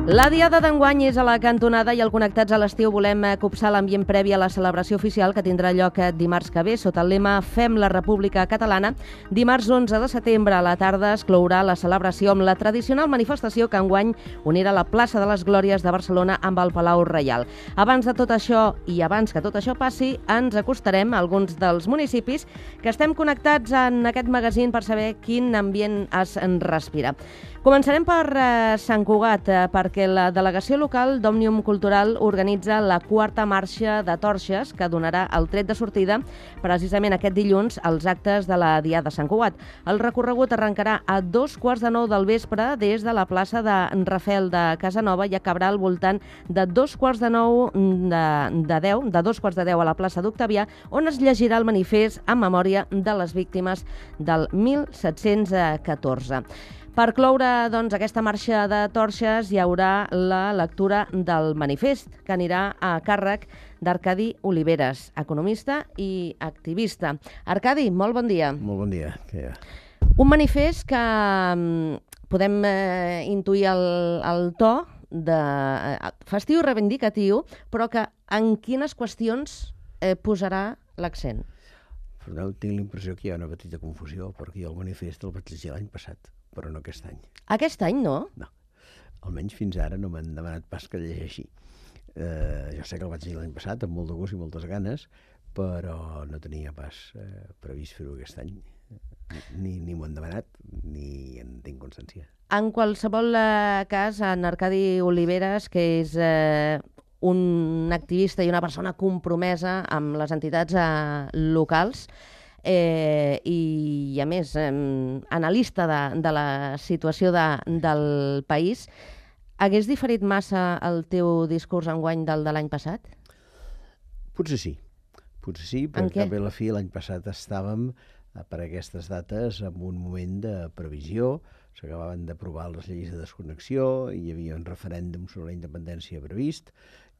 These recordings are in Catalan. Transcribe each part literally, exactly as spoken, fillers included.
La diada d'enguany és a la cantonada i al Connectats a l'estiu volem copsar l'ambient previ a la celebració oficial que tindrà lloc dimarts que ve sota el lema Fem la República Catalana. Dimarts onze de setembre a la tarda es clourà la celebració amb la tradicional manifestació que enguany unirà la plaça de les Glòries de Barcelona amb el Palau Reial. Abans de tot això i abans que tot això passi, ens acostarem a alguns dels municipis que estem connectats en aquest magazín per saber quin ambient es respira. Començarem per eh, Sant Cugat, eh, perquè la delegació local d'Òmnium Cultural organitza la quarta marxa de torxes que donarà el tret de sortida precisament aquest dilluns als actes de la Diada de Sant Cugat. El recorregut arrencarà a dos quarts de nou del vespre des de la plaça de Rafel de Casanova i acabarà al voltant de dos quarts de nou de, de deu, de dos quarts de deu a la plaça d'Octavià, on es llegirà el manifest en memòria de les víctimes del mil set-cents catorze. Per cloure doncs, aquesta marxa de torxes hi haurà la lectura del manifest, que anirà a càrrec d'Arcadi Oliveres, economista i activista. Arcadi, molt bon dia. Molt bon dia. Què hi ha? Un manifest que um, podem uh, intuir el, el to de uh, festiu i reivindicatiu, però que en quines qüestions eh, posarà l'accent? Perdó, tinc l'impressió que hi ha una petita confusió, perquè jo el manifest el vaig llegir l'any passat, però no aquest any. Aquest any no? No. Almenys fins ara no m'han demanat pas que llegeixi. Eh, jo sé que el vaig llegir l'any passat, amb molt de gust i moltes ganes, però no tenia pas eh, previst fer-ho aquest any. Ni, ni m'ho han demanat, ni en tinc constància. En qualsevol eh, cas, en Arcadi Oliveres, que és eh, un activista i una persona compromesa amb les entitats eh, locals, Eh, i, a més, eh, analista de, de la situació de, del país, hagués diferit massa el teu discurs enguany del de l'any passat? Potser sí. Potser sí, perquè a la fi l'any passat estàvem, per aquestes dates, en un moment de previsió. S'acabaven d'aprovar les lleis de desconnexió, hi havia un referèndum sobre la independència previst,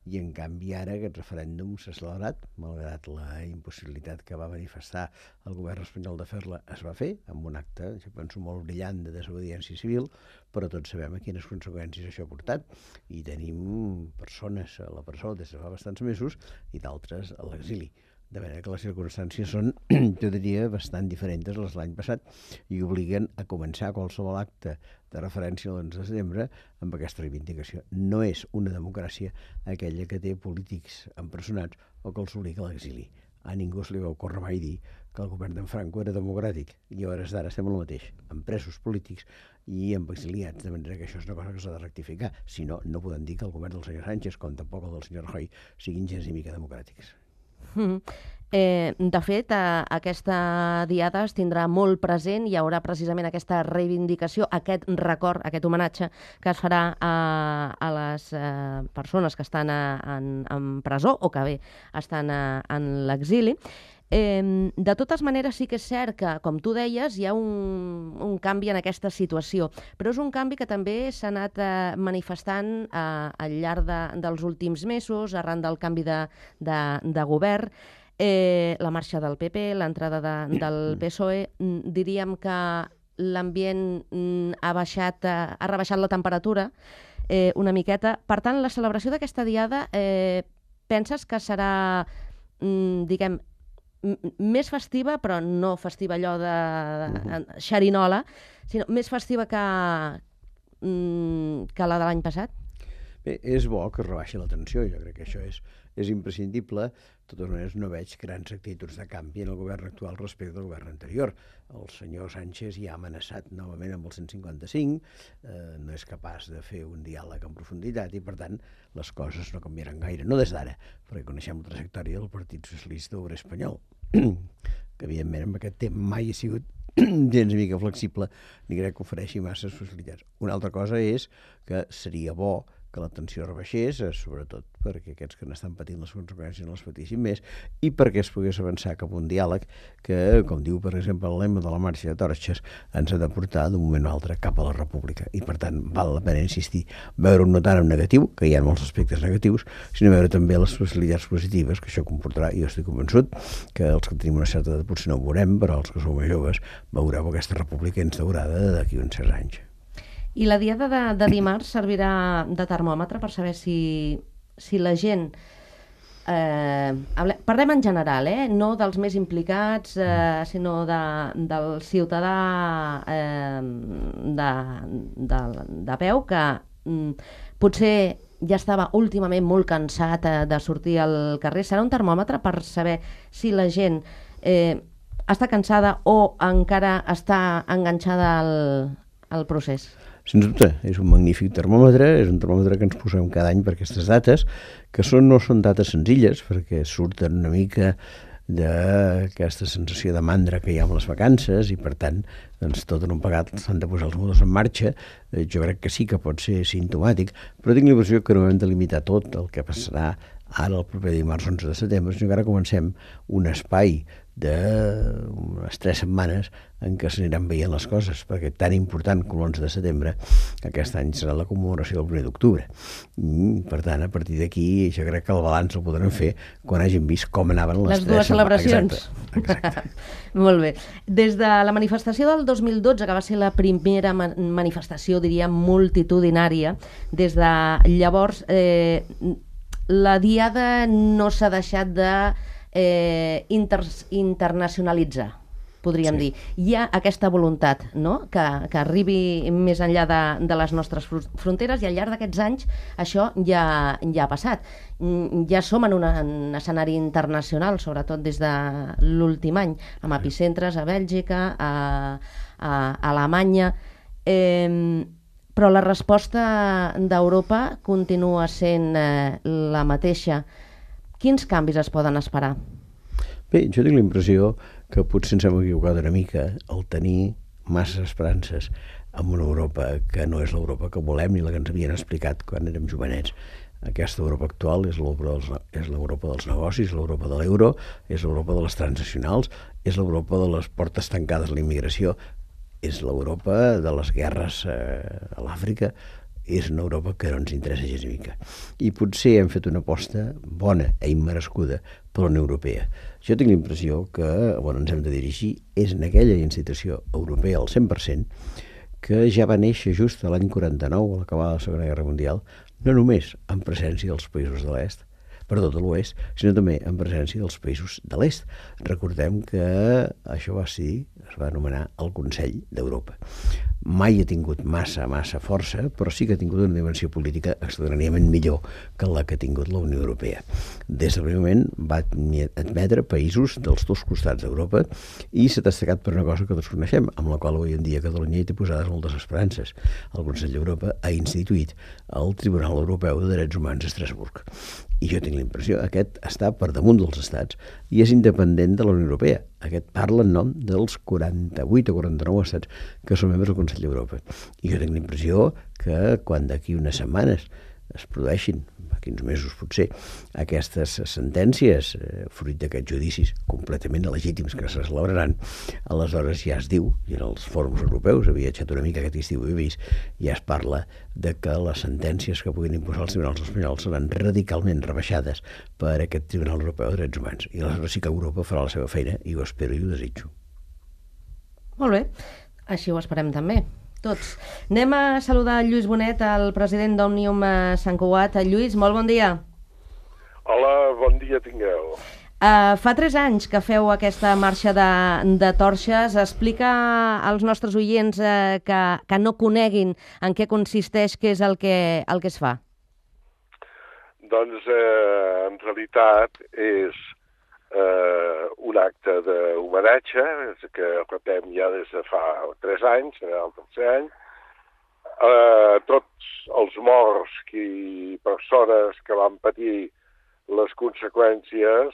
i en canvi ara aquest referèndum s'ha celebrat, malgrat la impossibilitat que va manifestar el govern espanyol de fer-la, es va fer, amb un acte, jo penso, molt brillant de desobediència civil, però tots sabem a quines conseqüències això ha portat, i tenim persones a la presó des de fa bastants mesos i d'altres a l'exili. De manera que les circumstàncies són, jo diria, bastant diferents a les l'any passat i obliguen a començar qualsevol acte de referència a l'onze de setembre amb aquesta reivindicació. No és una democràcia aquella que té polítics empresonats o que els obliga a l'exili. A ningú se li va ocórrer mai dir que el govern d'en Franco era democràtic i a hores d'ara estem el mateix, amb presos polítics i amb exiliats, de manera que això és una cosa que s'ha de rectificar. Si no, no podem dir que el govern del senyor Sánchez, com tampoc el del senyor Rajoy, siguin gens ni mica democràtics. Mm. Eh, de fet, eh, aquesta diada es tindrà molt present, hi haurà precisament aquesta reivindicació, aquest record, aquest homenatge que es farà a, a les eh, persones que estan a, en, en presó o que bé estan a, en l'exili. Eh, de totes maneres, sí que és cert que, com tu deies, hi ha un, un canvi en aquesta situació, però és un canvi que també s'ha anat eh, manifestant eh, al llarg de, dels últims mesos, arran del canvi de, de, de govern. Eh, la marxa del P P, l'entrada de, del P S O E, diríem que l'ambient ha baixat, ha rebaixat la temperatura eh, una miqueta. Per tant, la celebració d'aquesta diada, eh, penses que serà, diguem, més festiva, però no festiva allò de, de xerinola, sinó més festiva que, que la de l'any passat? Bé, és bo que es rebaixi la tensió, jo crec que això és, és imprescindible. De totes maneres, no veig grans actituds de canvi en el govern actual respecte al govern anterior. El senyor Sánchez ja ha amenaçat novament amb el cent cinquanta-cinc, eh, no és capaç de fer un diàleg en profunditat i, per tant, les coses no canviaran gaire. No des d'ara, perquè coneixem la trajectòria del Partit Socialista Obrer Espanyol, que, evidentment, amb aquest tema mai ha sigut gens mica flexible, ni crec que ofereixi masses facilitats. Una altra cosa és que seria bo que la tensió rebaixés, sobretot perquè aquests que n'estan patint les conseqüències no les patissin més i perquè es pogués avançar cap a un diàleg que, com diu, per exemple, el lema de la marxa de torxes, ens ha de portar d'un moment a l'altre cap a la república. I, per tant, val la pena insistir, veure-ho no tant en negatiu, que hi ha molts aspectes negatius, sinó veure també les possibilitats positives que això comportarà. I jo estic convençut que els que tenim una certa edat potser no ho veurem, però els que som més joves veureu aquesta república instaurada d'aquí uns certs anys. I la diada de, de dimarts servirà de termòmetre per saber si, si la gent... Eh, parlem en general, eh? No dels més implicats, eh, sinó de, del ciutadà eh, de, de, de peu que mm, potser ja estava últimament molt cansat eh, de sortir al carrer. Serà un termòmetre per saber si la gent eh, està cansada o encara està enganxada al, al procés. Sens dubte, és un magnífic termòmetre, és un termòmetre que ens posem cada any per aquestes dates, que són, no són dates senzilles, perquè surten una mica d'aquesta sensació de mandra que hi ha amb les vacances i, per tant, doncs, tot en un pegat s'han de posar els motors en marxa. Jo crec que sí que pot ser simptomàtic, però tinc la impressió que no hem de limitar tot el que passarà ara el proper dimarts onze de setembre, sinó que ara comencem un espai d'unes tres setmanes en què s'aniran veient les coses, perquè tan important com l'onze de setembre, aquest any serà la commemoració del primer d'octubre. I, per tant, a partir d'aquí, jo crec que el balanç el podrem fer quan hàgim vist com anaven les, les dues celebracions. Exacte. Exacte. Molt bé. Des de la manifestació del dos mil dotze, que va ser la primera ma- manifestació, diríem, multitudinària, des de llavors eh, la diada no s'ha deixat de eh, inter internacionalitzar, podríem sí. dir. Hi ha aquesta voluntat, no?, que, que arribi més enllà de, de les nostres fronteres, i al llarg d'aquests anys això ja, ja ha passat. Ja som en un en escenari internacional, sobretot des de l'últim any, amb epicentres a Bèlgica, a, a, a Alemanya... Eh, però la resposta d'Europa continua sent eh, la mateixa. Quins canvis es poden esperar? Bé, jo tinc la impressió que potser ens hem equivocat una mica al tenir masses esperances en una Europa que no és l'Europa que volem ni la que ens havien explicat quan érem jovenets. Aquesta Europa actual és l'Europa dels, és l'Europa dels negocis, l'Europa de l'euro, és l'Europa de les transnacionals, és l'Europa de les portes tancades a la immigració, és l'Europa de les guerres eh, a l'Àfrica, és una Europa que no ens interessa gens mica. I potser hem fet una aposta bona i immerescuda per la Unió Europea. Jo tinc la impressió que on ens hem de dirigir és en aquella institució europea al cent per cent que ja va néixer just a l'any quaranta-nou, a l'acabar de la Segona Guerra Mundial, no només en presència dels països de l'Est, perdó, de l'Oest, sinó també en presència dels països de l'Est. Recordem que això va ser, es va anomenar el Consell d'Europa. Mai ha tingut massa, massa força, però sí que ha tingut una dimensió política extraordinàriament millor que la que ha tingut la Unió Europea. Des del primer moment va admetre països dels dos costats d'Europa i s'ha destacat per una cosa que tots coneixem, amb la qual avui en dia Catalunya hi té posades moltes esperances. El Consell d'Europa ha instituït el Tribunal Europeu de Drets Humans a Estrasburg. I jo tinc la impressió que aquest està per damunt dels estats i és independent de la Unió Europea. Aquest parla en nom dels quaranta-vuit o quaranta-nou estats que són membres del Consell d'Europa. I jo tinc la impressió que quan d'aquí unes setmanes es produeixin, d'aquí uns mesos potser, aquestes sentències, eh, fruit d'aquests judicis completament legítims que se celebraran, aleshores ja es diu, i en els fòrums europeus, havia viatjat una mica aquest estiu i he vist, ja es parla de que les sentències que puguin imposar els tribunals espanyols seran radicalment rebaixades per aquest Tribunal Europeu de Drets Humans. I aleshores sí que Europa farà la seva feina, i ho espero i ho desitjo. Molt bé, així ho esperem també. Tots. Anem a saludar Lluís Bonet, el president d'Òmnium Sant Cugat. Lluís, molt bon dia. Hola, bon dia tingueu. Uh, fa tres anys que feu aquesta marxa de, de torxes. Explica als nostres oients uh, que, que no coneguin en què consisteix, què és el que, el que es fa. Doncs, eh, en realitat, és eh, un acte d'homenatge que repetem ja des de fa tres anys, serà el tercer any, eh, tots els morts i persones que van patir les conseqüències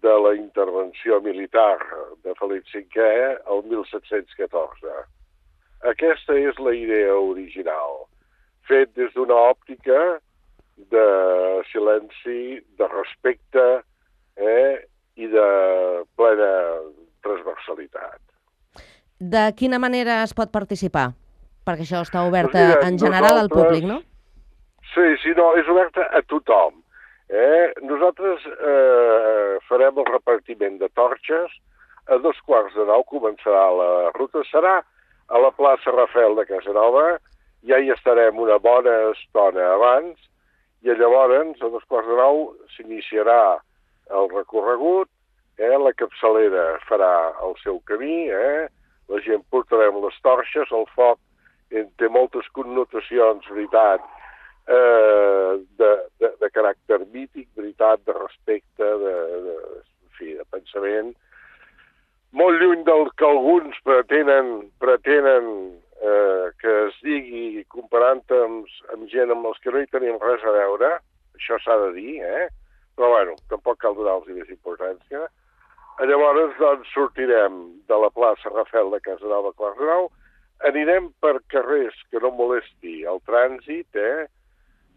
de la intervenció militar de Felip cinquè el mil set-cents catorze. Aquesta és la idea original, fet des d'una òptica de silenci, de respecte, eh, i de plena transversalitat. De quina manera es pot participar? Perquè això està obert pues mira, en general al públic, no? Sí, sí, no, és obert a tothom. Eh? Nosaltres eh, farem el repartiment de torxes, a dos quarts de nou començarà la ruta, serà a la plaça Rafael de Casanova ja hi estarem una bona estona abans, i llavors, a dos quarts de nou, s'iniciarà el recorregut, eh? La capçalera farà el seu camí, eh? La gent portarem les torxes, el foc eh, té moltes connotacions, veritat, eh, de, de, de caràcter mític, veritat, de respecte, de, de, en fi, de pensament, molt lluny del que alguns pretenen, pretenen eh, que es digui comparant amb, amb gent amb els que no hi tenim res a veure, això s'ha de dir, eh? Però bueno, tampoc cal donar-los més importància. Llavors, doncs, sortirem de la plaça Rafel de Casanova a quarts de nou, anirem per carrers que no molesti el trànsit, eh?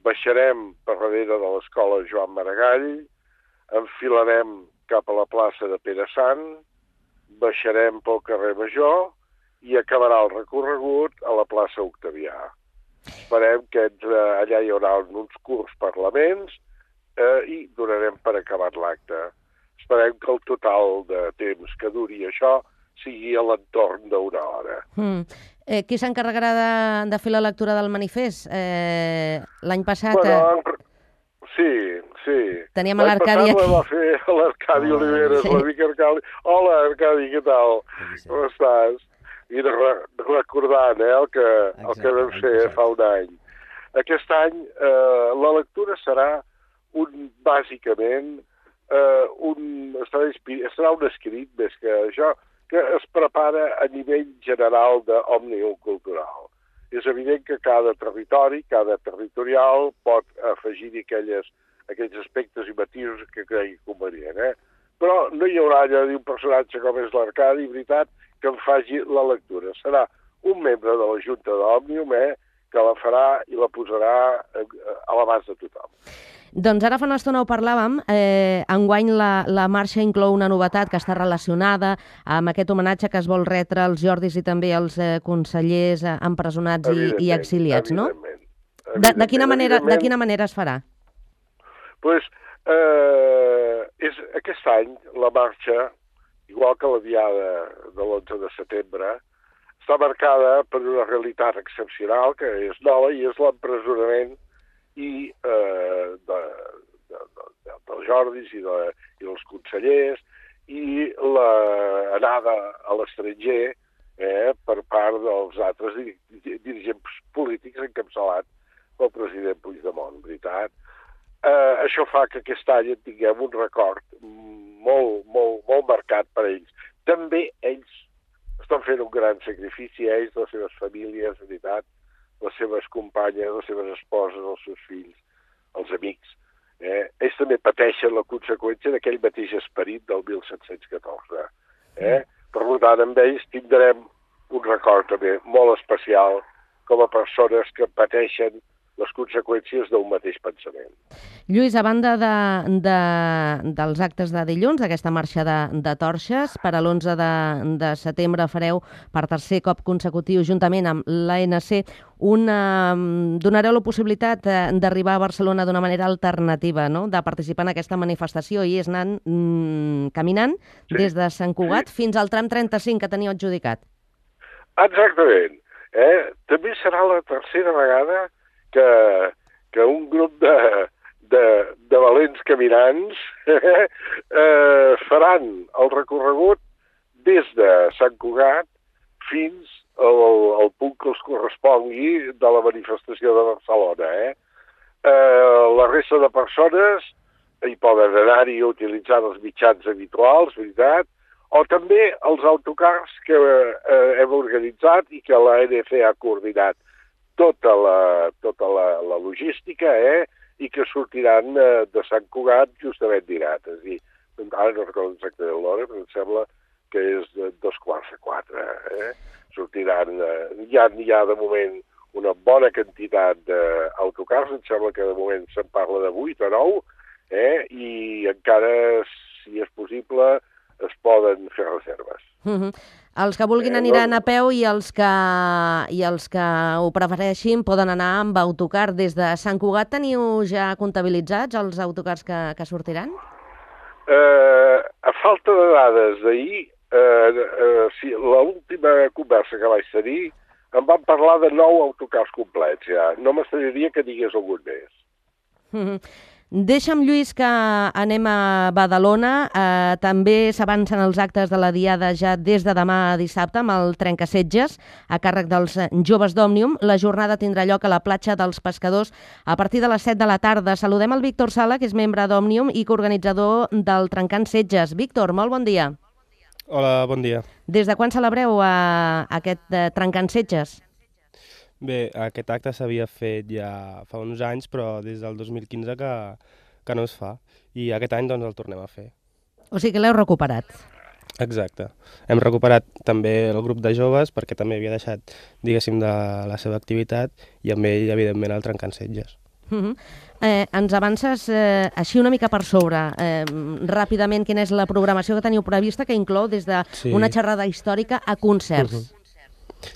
Baixarem per darrere de l'escola Joan Maragall, enfilarem cap a la plaça de Pere Sant, baixarem pel carrer Major i acabarà el recorregut a la plaça Octavià. Esperem que entre, allà hi haurà uns curts parlaments eh, i donarem per acabat l'acte. Esperem que el total de temps que duri això sigui a l'entorn d'una hora. Mm. Eh, qui s'encarregarà de, de fer la lectura del manifest? Eh, L'any passat... Bueno, en... Sí, sí. Teníem a l'Arcadi aquí. L'any passat la va fer l'Arcadi Oliveres, sí. L'amic Arcadi. Hola, Arcadi, què tal? Com estàs? I re recordant eh, el que, el que vam fer fa un any. Aquest any eh, la lectura serà un, bàsicament, eh, un, serà, serà un escrit, més que això, que es prepara a nivell general d'òmnium cultural. És evident que cada territori, cada territorial pot afegir-hi aquells aspectes i matisos que cregui convenient. Eh? Però no hi haurà allà un personatge com és l'Arcadi, veritat, que en faci la lectura. Serà un membre de la Junta d'Òmnium eh, que la farà i la posarà a l'abast de tothom. Doncs ara fa una estona ho parlàvem, eh, enguany la, la marxa inclou una novetat que està relacionada amb aquest homenatge que es vol retre als Jordis i també als eh, consellers eh, empresonats i, i exiliats, no? De, de, quina manera, de quina manera es farà? Pues, eh, és, aquest any la marxa, igual que la diada de l'onze de setembre, està marcada per una realitat excepcional que és nova i és l'empresonament i eh, de, de, de, dels Jordis i, de, i dels consellers i l'anada a l'estranger eh, per part dels altres dirigents polítics encapçalats pel president Puigdemont, veritat. Eh, això fa que aquest any tinguem un record molt, molt, molt marcat per ells. També ells estan fent un gran sacrifici, ells, les seves famílies, veritat, les seves companyes, les seves esposes, els seus fills, els amics. Eh? Ells també pateixen la conseqüència d'aquell mateix esperit del mil set-cents catorze. Eh? Per tant, amb ells tindrem un record també molt especial com a persones que pateixen les conseqüències d'un mateix pensament. Lluís, a banda de, de, dels actes de dilluns, d'aquesta marxa de, de torxes, per a l'onze de, de setembre fareu per tercer cop consecutiu, juntament amb l'A N C, una, donareu la possibilitat d'arribar a Barcelona d'una manera alternativa, no? De participar en aquesta manifestació, i és anant mm, caminant sí. des de Sant Cugat sí. fins al tram trenta-cinc que teniu adjudicat. Exactament. Eh? També serà la tercera vegada que, que un grup de, de, de valents caminants eh, faran el recorregut des de Sant Cugat fins al, al punt que els correspongui de la manifestació de Barcelona. Eh? Eh, la resta de persones hi poden anar-hi utilitzant els mitjans habituals, veritat, o també els autocars que eh, hem organitzat i que l'A N C ha coordinat tota la, tota la, la logística eh, i que sortiran eh, de Sant Cugat justament dinat. És a dir, ara no recordo exactament l'hora, però em sembla que és de dos quarts de quatre. Eh? Sortiran, eh, hi, ha, hi ha de moment una bona quantitat d'autocars, em sembla que de moment se'n parla de vuit o nou, eh? I encara, si és possible, es poden fer reserves. Mm-hmm. Els que vulguin eh, aniran no... a peu i els que, i els que ho prefereixin poden anar amb autocar. Des de Sant Cugat teniu ja comptabilitzats els autocars que, que sortiran? Eh, a falta de dades d'ahir, eh, eh, sí, l'última conversa que vaig tenir em van parlar de nou autocars complets, ja. No m'estranyaria que digués algun més. Mm-hmm. Deixa'm, Lluís, que anem a Badalona. Eh, també s'avancen els actes de la Diada ja des de demà dissabte amb el trencasetges a càrrec dels joves d'Òmnium. La jornada tindrà lloc a la platja dels Pescadors a partir de les set de la tarda. Saludem el Víctor Sala, que és membre d'Òmnium i coorganitzador del Trencant Setges. Víctor, molt bon dia. Hola, bon dia. Des de quan celebreu eh, aquest eh, Trencant Setges? Bé, aquest acte s'havia fet ja fa uns anys, però des del dos mil quinze que, que no es fa. I aquest any doncs el tornem a fer. O sigui que l'heu recuperat. Exacte. Hem recuperat també el grup de joves perquè també havia deixat, diguéssim, de la seva activitat i amb ell, evidentment, el Trencant Setges. Uh-huh. eh, ens avances eh, així una mica per sobre, eh, ràpidament, quina és la programació que teniu prevista, que inclou des d'una sí. xerrada històrica a concerts. Uh-huh.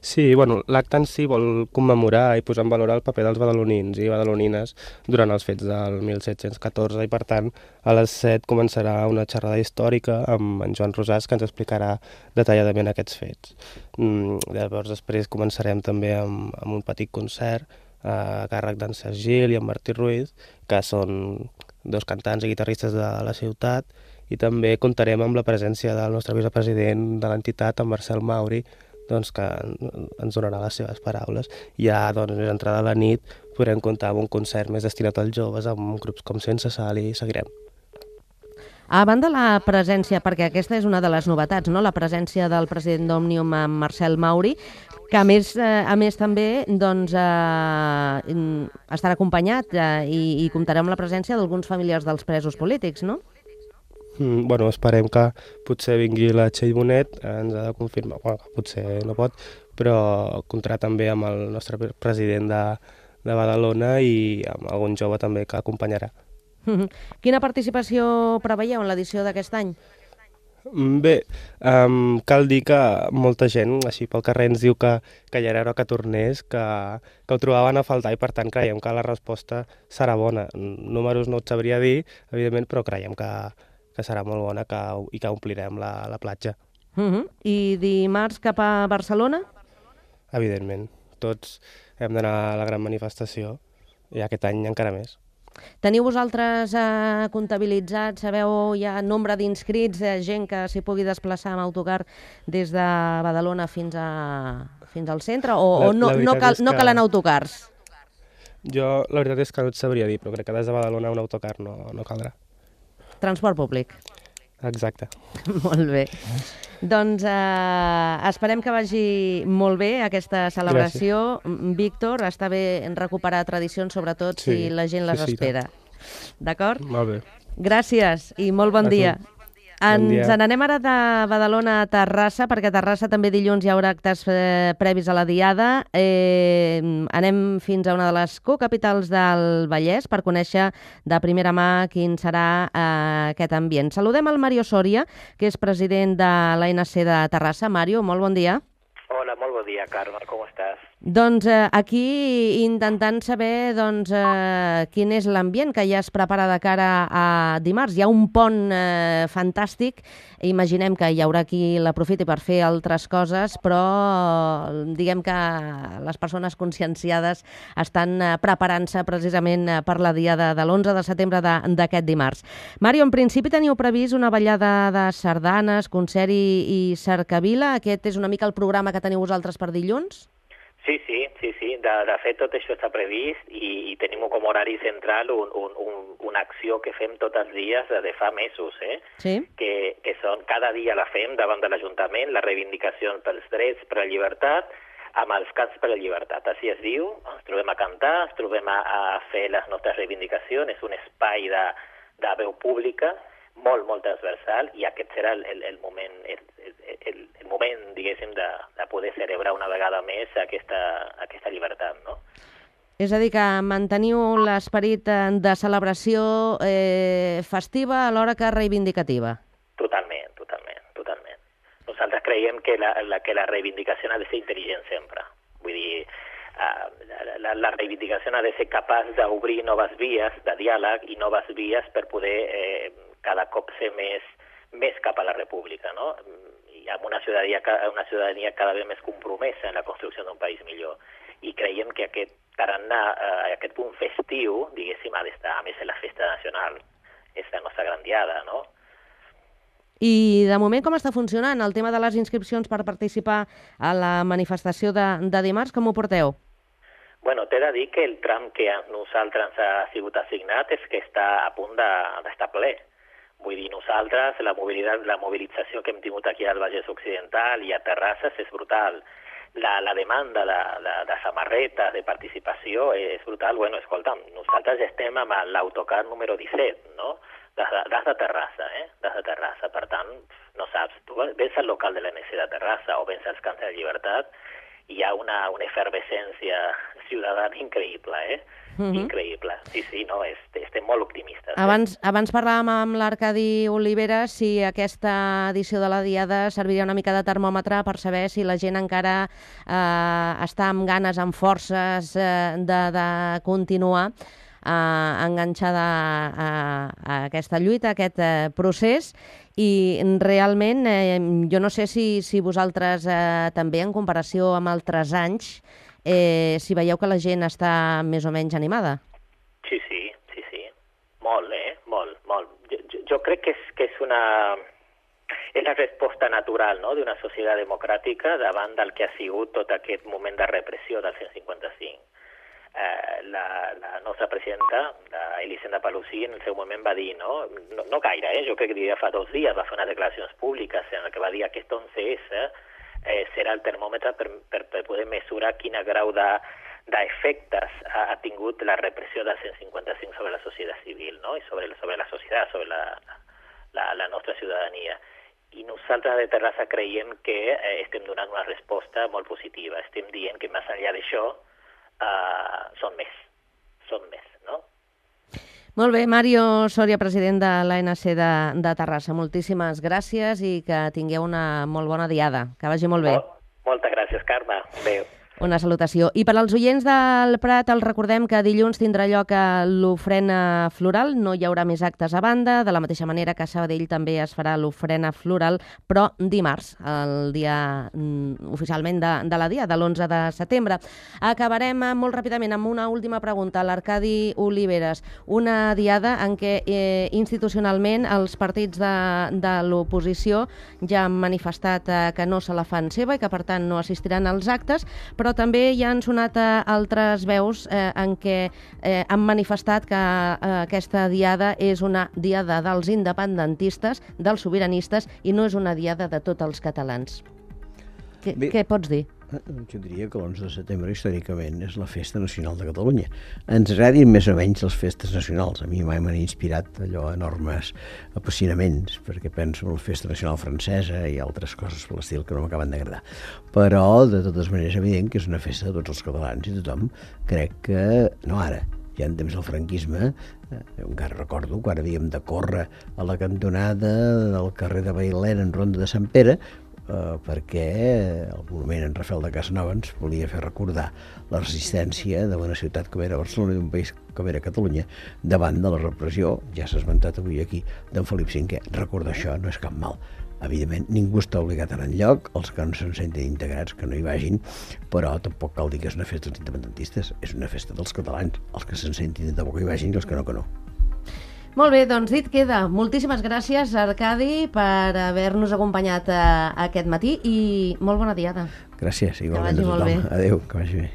Sí, bueno, l'acte en si vol commemorar i posar en valor el paper dels badalonins i badalonines durant els fets del mil set-cents catorze i, per tant, a les set començarà una xerrada històrica amb en Joan Rosàs, que ens explicarà detalladament aquests fets. Mm, llavors, després començarem també amb, amb un petit concert a càrrec d'en Sergi Gil i en Martí Ruiz, que són dos cantants i guitarristes de la ciutat, i també comptarem amb la presència del nostre vicepresident de l'entitat, en Marcel Mauri, doncs, que ens donarà les seves paraules. Ja, doncs, més entrada a la nit, podrem comptar amb un concert més destinat als joves, amb grups com Sense Sal, i seguirem. A banda la presència, perquè aquesta és una de les novetats, no? La presència del president d'Òmnium, Marcel Mauri, que a més, eh, a més també doncs, eh, estarà acompanyat eh, i, i comptarà amb la presència d'alguns familiars dels presos polítics, no? Mm, bueno, esperem que potser vingui la Txell Bonet, ens ha de confirmar, bueno, potser no pot, però comptarà també amb el nostre president de, de Badalona i amb algun jove també que acompanyarà. Quina participació preveieu en l'edició d'aquest any? Bé, um, cal dir que molta gent, així pel carrer, ens diu que, que ja era hora que tornés, que, que ho trobaven a faltar i, per tant, creiem que la resposta serà bona. Números no et sabria dir, evidentment, però creiem que, que serà molt bona que, i que omplirem la, la platja. Uh-huh. I dimarts cap a Barcelona? Evidentment. Tots hem d'anar a la gran manifestació i aquest any encara més. Teniu vosaltres eh, comptabilitzat, sabeu ja nombre d'inscrits, eh, gent que s'hi pugui desplaçar amb autocar des de Badalona fins, a, fins al centre, o, la, o no, no, cal, no calen autocars? Jo la veritat és que no et sabria dir, però crec que des de Badalona un autocar no, no caldrà. Transport públic. Exacte. Molt bé. Doncs eh, esperem que vagi molt bé aquesta celebració. Gràcies. Víctor, està bé recuperar tradicions, sobretot sí, si la gent les sí, sí, espera. D'acord? Molt bé. Gràcies i molt bon a dia. Tu. Ens n'anem ara de Badalona a Terrassa, perquè a Terrassa també dilluns hi haurà actes eh, previs a la Diada. Eh, anem fins a una de les cocapitals del Vallès per conèixer de primera mà quin serà eh, aquest ambient. Saludem al Mario Soria, que és president de l'A N C de Terrassa. Mario, molt bon dia. Hola, molt bon dia, Carme, com estàs? Doncs eh, aquí intentant saber doncs, eh, quin és l'ambient que ja es prepara de cara a dimarts. Hi ha un pont eh, fantàstic, imaginem que hi haurà qui l'aprofiti per fer altres coses, però diguem que les persones conscienciades estan eh, preparant-se precisament per la diada de l'onze de setembre d'aquest dimarts. Mario, en principi teniu previst una ballada de sardanes, concert i, i cercavila. Aquest és una mica el programa que teniu vosaltres per dilluns? Sí, sí, sí, sí. De, de fet, tot això està previst i, i tenim com a horari central un, un, un, una acció que fem tots els dies de fa mesos, eh? Sí. Que, que són, cada dia la fem davant de l'Ajuntament, la reivindicació pels drets, per la llibertat, amb els cants per la llibertat. Així es diu, ens trobem a cantar, ens trobem a, a fer les nostres reivindicacions, és un espai de, de veu pública, molt, molt transversal, i aquest serà el, el, el moment, el, el, el moment, diguéssim, de, de poder celebrar una vegada més aquesta, aquesta llibertat, no? És a dir, que manteniu l'esperit de celebració eh, festiva alhora que reivindicativa. Totalment, totalment, totalment. Nosaltres creiem que la, la, que la reivindicació ha de ser intel·ligent sempre. Vull dir, uh, la, la, la reivindicació ha de ser capaç d'obrir noves vies de diàleg i noves vies per poder eh, cada cop ser més, més cap a la república, no? amb una ciutadania, una ciutadania cada vegada més compromesa en la construcció d'un país millor. I creiem que aquest tarannà, eh, aquest punt festiu, diguéssim, ha d'estar a més en la festa nacional. És la nostra gran diada, no? I de moment com està funcionant el tema de les inscripcions per participar a la manifestació de, de dimarts? Com ho porteu? Bueno, t'he de dir que el tram que a nosaltres ha sigut assignat és que està a punt d'estar ple. Vull dir, nosaltres, la, mobilitat, la mobilització que hem tingut aquí al Vallès Occidental i a Terrasses és brutal. La, la demanda de, de, de samarretes, de participació és brutal. Bueno, escolta'm, nosaltres estem amb l'autocar número disset, no?, des de, des de Terrassa, eh? Des de Terrassa. Per tant, no saps, tu vens al local de l'A N C de Terrassa o vens als Camps de la Llibertat i hi ha una, una efervescència ciutadana increïble, eh? Mm-hmm. Increïble. Sí, sí, no, és, estem molt optimistes. Abans, eh? abans parlàvem amb l'Arcadi Olivera si aquesta edició de la Diada serviria una mica de termòmetre per saber si la gent encara eh, està amb ganes, amb forces eh, de, de continuar Uh, enganxada a, a aquesta lluita, a aquest uh, procés, i realment eh, jo no sé si, si vosaltres eh, també, en comparació amb altres anys, eh, si veieu que la gent està més o menys animada. Sí, sí, sí, sí. Molt, eh? Molt, molt. Jo, jo, jo crec que és, que és una... És la resposta natural, no?, d'una societat democràtica davant del que ha sigut tot aquest moment de repressió del cent cinquanta-cinc. Eh, la, la nostra presidenta, Elisenda Palusí, en el seu moment va dir, no, no, no gaire, eh? Jo crec que ja fa dos dies va fer unes declaracions públiques en què va dir que aquest onze esse eh, serà el termòmetre per, per, per poder mesurar quin grau de, d'efectes ha, ha tingut la repressió del cent cinquanta-cinc sobre la societat civil, no?, i sobre, sobre la societat, sobre la, la, la nostra ciutadania. I nosaltres de Terrassa creiem que eh, estem donant una resposta molt positiva. Estem dient que més enllà d'això Uh, són més, són més, no? Molt bé, Mario Soria, president de l'A N C de, de Terrassa. Moltíssimes gràcies i que tingueu una molt bona diada. Que vagi molt bé. Molt, moltes gràcies, Carme. Adéu. Una salutació. I per als oients del Prat, els recordem que dilluns tindrà lloc l'ofrena floral. No hi haurà més actes a banda, de la mateixa manera que a Sabadell també es farà l'ofrena floral, però dimarts, el dia mm, oficialment de, de la dia, de l'onze de setembre. Acabarem molt ràpidament amb una última pregunta a l'Arcadi Oliveres. Una diada en què eh, institucionalment els partits de, de l'oposició ja han manifestat eh, que no se la fan seva i que per tant no assistiran als actes, però però també hi han sonat eh, altres veus eh, en què eh, han manifestat que eh, aquesta diada és una diada dels independentistes, dels sobiranistes, i no és una diada de tots els catalans. Què, Bé, què pots dir? Jo diria que l'onze de setembre històricament és la festa nacional de Catalunya. Ens agradin més o menys les festes nacionals. A mi mai m'han inspirat allò enormes apassionaments, perquè penso en la festa nacional francesa i altres coses per l'estil que no m'acaben d'agradar. Però, de totes maneres, és evident que és una festa de tots els catalans i tothom crec que, no ara, ja en temps del franquisme, eh, encara recordo quan havíem de córrer a la cantonada del carrer de Bailén en Ronda de Sant Pere, Uh, perquè el monument en Rafael de Casanova ens volia fer recordar la resistència d'una ciutat com era Barcelona i d'un país com era Catalunya davant de la repressió, ja s'ha esmentat avui aquí, d'en Felip cinquè. Recordar això no és cap mal. Evidentment, ningú està obligat a anar enlloc, els que no se'n senten integrats, que no hi vagin, però tampoc cal dir que és una festa dels independentistes, és una festa dels catalans, els que se'n sentin de bo que hi vagin i els que no, que no. Molt bé, doncs dit queda. Moltíssimes gràcies, Arcadi, per haver-nos acompanyat eh, aquest matí i molt bona diada. Gràcies, igualment a tothom. Adéu, que vagi bé.